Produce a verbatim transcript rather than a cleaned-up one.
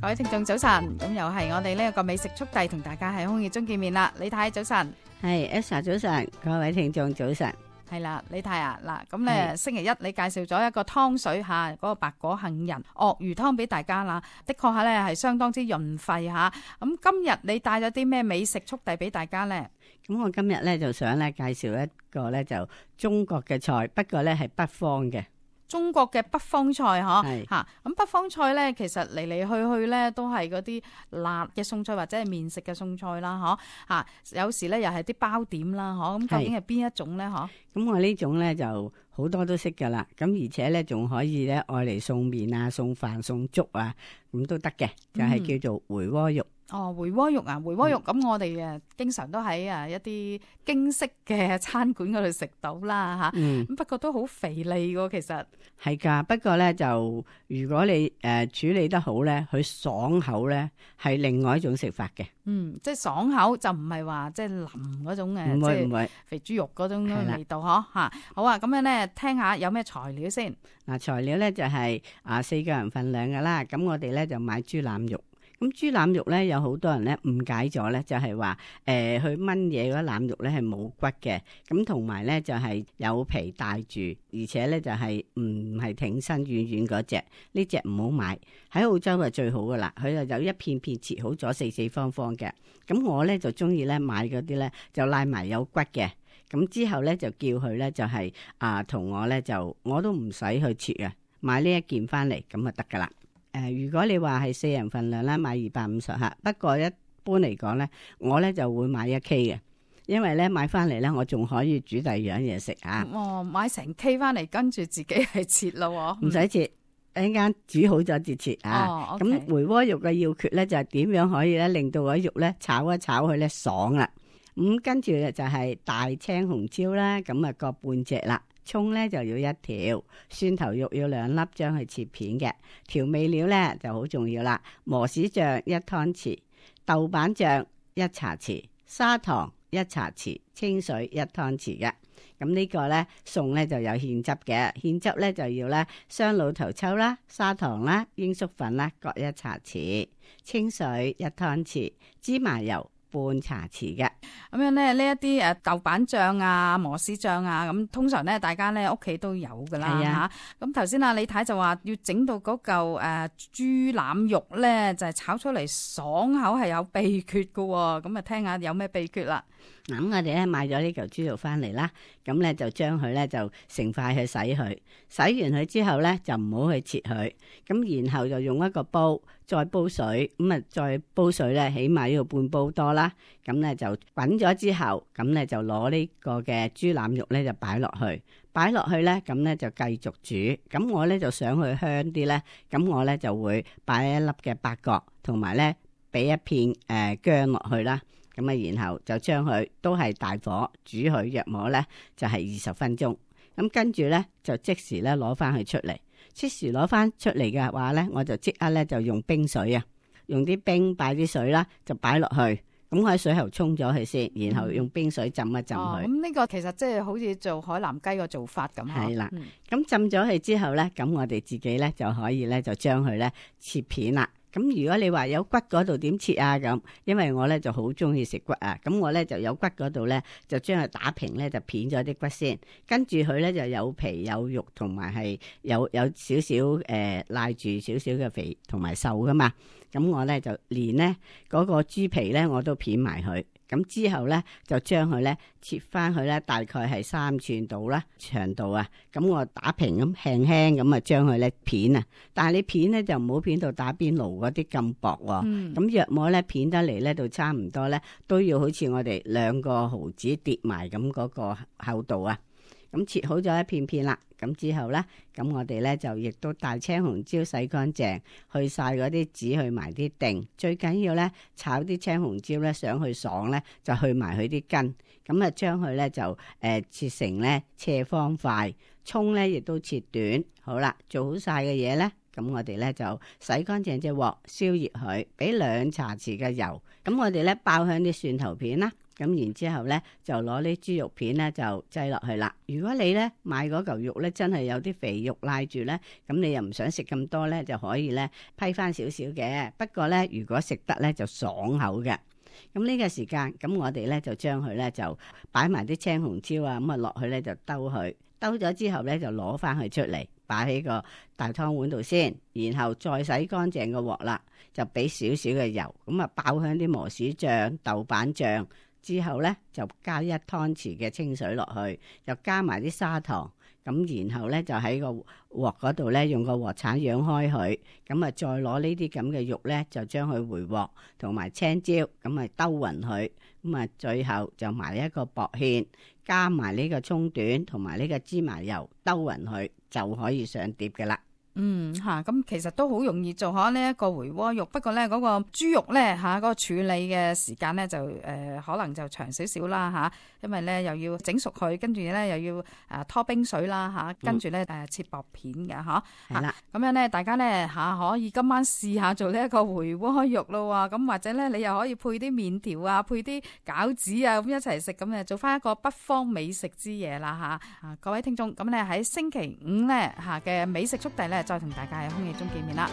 各位聽眾早晨，咁又係我哋呢一個美食速遞同大家喺空氣中見面啦。李太早晨，係 Elsa 早晨，各位聽眾早晨。係啦，李太啊，嗱咁咧星期一你介紹咗一個湯水吓，嗰個白果杏仁鱷魚湯俾大家啦，的確係咧係相當之潤肺吓。咁今日你帶咗啲咩美食速遞俾大家咧？咁我今日咧就想咧介紹一個咧就中國嘅菜，不過咧係北方嘅。中國嘅北方菜嗬，係吓咁北方菜咧，其實嚟嚟去去咧都係嗰啲辣嘅餸菜或者係麵食嘅餸菜啦，嗬吓，有時咧又係啲包點啦，嗬，咁究竟係邊一種咧？嗬，咁我呢種咧就好多都識噶啦，咁而且咧仲可以咧愛嚟送麵啊、送飯、送粥啊，咁都得嘅，就係、是、叫做回鍋肉。哦，回鍋肉啊，回鍋肉咁、嗯、我哋誒經常都喺啊一啲京式嘅餐館嗰度食到啦吓，咁、嗯、不過都好肥膩噶，其實係噶，不過咧就如果你誒、呃、處理得好咧，佢爽口咧係另外一種食法嘅。嗯，即係爽口就唔係話即係腍嗰種誒，唔會唔會即係肥豬肉嗰種味道嗬吓。好啊，咁樣咧聽下有咩材料先。嗱，材料咧就係、是、啊四個人份量噶啦，咁我哋咧就買豬腩肉。咁豬腩肉咧有好多人咧誤解咗咧，就係話誒去炆嘢嗰腩肉咧係冇骨嘅，咁同埋咧就係、是、有皮帶住，而且咧就係唔係挺身軟軟嗰隻，呢隻唔好買。喺澳洲係最好噶啦，佢就有一片片切好咗四四方方嘅。咁我咧就中意咧買嗰啲咧就拉埋有骨嘅，咁之後咧就叫佢咧就係啊同我咧就我都唔使去切啊，買呢一件翻嚟咁就得噶啦。誒、呃，如果你話係四人份量啦，買二百五十克。不過一般嚟講咧，我咧就會買一 K 嘅，因為咧買翻嚟咧，我仲可以煮第二樣嘢食啊。哦，買成 K 翻嚟，跟住自己係切咯，唔使切，一陣間煮好咗至切啊。咁、哦 okay、回鍋肉嘅要訣咧就係點樣可以咧令到嗰肉咧炒一炒佢咧爽啦。咁跟住就係大青紅椒啦，咁啊各半隻啦。蔥咧就要一條，蒜頭肉要兩粒，將佢切片嘅。調味料咧就好重要啦，磨豉醬一湯匙，豆瓣醬一茶匙，砂糖一茶匙，清水一湯匙嘅。咁呢個咧餸咧就有芡汁嘅，芡汁咧就要咧雙老頭抽啦、砂糖啦、鷹粟粉啦各一茶匙，清水一湯匙，芝麻油半茶匙嘅。咁樣咧，呢一啲誒豆瓣醬啊、磨豉醬啊，咁通常咧大家咧屋企都有噶啦吓。咁頭先啊李太就話要整到嗰嚿誒豬腩肉咧，就係、是、炒出嚟爽口係有秘訣噶。咁啊聽下有咩秘訣啦。咁我哋咧買咗呢嚿豬肉翻嚟啦，咁咧就將佢咧就成塊去洗佢，洗完佢之後咧就唔好去切佢，咁然後就用一個煲再煲水，咁啊再煲水咧起碼要半煲多啦，咁咧就滾咗之後，咁咧就攞呢個嘅豬腩肉咧就擺落去，擺落去咧咁咧就繼續煮，咁我咧就想去香啲咧，咁我咧就會擺一粒嘅八角，同埋咧俾一片誒、呃、薑落去啦。咁啊，然後就將佢都係大火煮佢，約摸咧就係二十分鐘。咁跟住咧就即時咧攞翻佢出嚟，即時攞翻出嚟嘅話咧，我就即刻咧就用冰水啊，用啲冰擺啲水啦，就擺落去。咁我喺水喉沖咗佢先，然後用冰水浸一浸佢。咁呢、哦、個其實即係好似做海南雞個做法咁。係啦，咁、嗯、浸咗佢之後咧，咁我哋自己咧就可以咧就將佢咧切片啦。咁如果你話有骨嗰度點切啊咁，因為我咧就好中意食骨啊，咁我咧就有骨嗰度咧就將佢打平咧就片咗啲骨先，跟住佢咧就有皮有肉同埋係有有少少誒賴住少少嘅肥同埋瘦噶嘛，咁我咧就連咧嗰個豬皮咧我都片埋佢。咁之後咧就將佢咧切翻去咧大概係三寸度啦長度啊，咁我打平咁輕輕咁啊將佢咧片啊，但係你片咧就唔好片到打邊爐嗰啲咁薄喎，咁約莫咧片得嚟咧到差唔多咧都要好似我哋兩個毫子疊埋咁嗰個厚度啊。咁切好咗一片片啦，咁之後咧，咁我哋咧就亦都大青紅椒洗乾淨，去晒嗰啲籽，去埋啲靛，最緊要咧炒啲青紅椒咧，想去爽咧，就去埋佢啲根，咁啊將佢咧就誒、呃、切成咧斜方塊，蔥咧亦都切短，好啦，做好晒嘅嘢咧。咁我哋咧就洗乾淨隻鑊，燒熱佢，俾兩茶匙嘅油。咁我哋咧爆香啲蒜頭片啦，咁然之後咧就攞啲豬肉片咧就擠落去啦。如果你咧買嗰嚿肉咧真係有啲肥肉賴住咧，咁你又唔想食咁多咧，就可以咧批翻少少嘅。不過咧如果食得咧就爽口嘅。咁呢個時間，咁我哋咧就將佢咧就擺埋啲青紅椒啊，咁啊落去咧就兜佢，兜咗之後咧就攞翻佢出嚟，擺喺個大湯碗度先，然後再洗乾淨個鑊啦，就俾少少嘅油，咁啊爆香啲磨豉醬、豆瓣醬，之後咧就加一湯匙嘅清水落去，就加埋啲砂糖。咁然後咧就喺個鑊嗰度咧用個鑊鏟揚開佢，咁啊再攞呢啲咁嘅肉咧就將佢回鑊，同埋青椒咁啊兜勻佢，咁啊最後就埋一個薄芡，加埋呢個葱段同埋呢個芝麻油兜勻佢，就可以上碟㗎喇。嗯吓，咁、啊、其實都好容易做下呢一個回鍋肉，不過咧嗰、那個豬肉咧吓，嗰、啊那個處理嘅時間咧就誒、呃、可能就長少少啦吓，因為咧又要整熟佢，跟住咧又要誒、啊、拖冰水啦吓，跟住咧誒切薄片嘅吓，係啦，咁樣咧大家咧吓、啊、可以今晚試下做呢一個回鍋肉咯，咁或者咧你又可以配啲麵條啊，配啲餃子啊，咁一齊食，咁誒做翻一個北方美食之夜啦吓。啊各位聽眾，咁咧喺星期五咧吓嘅美食速遞咧。再同大家喺空氣中見面啦。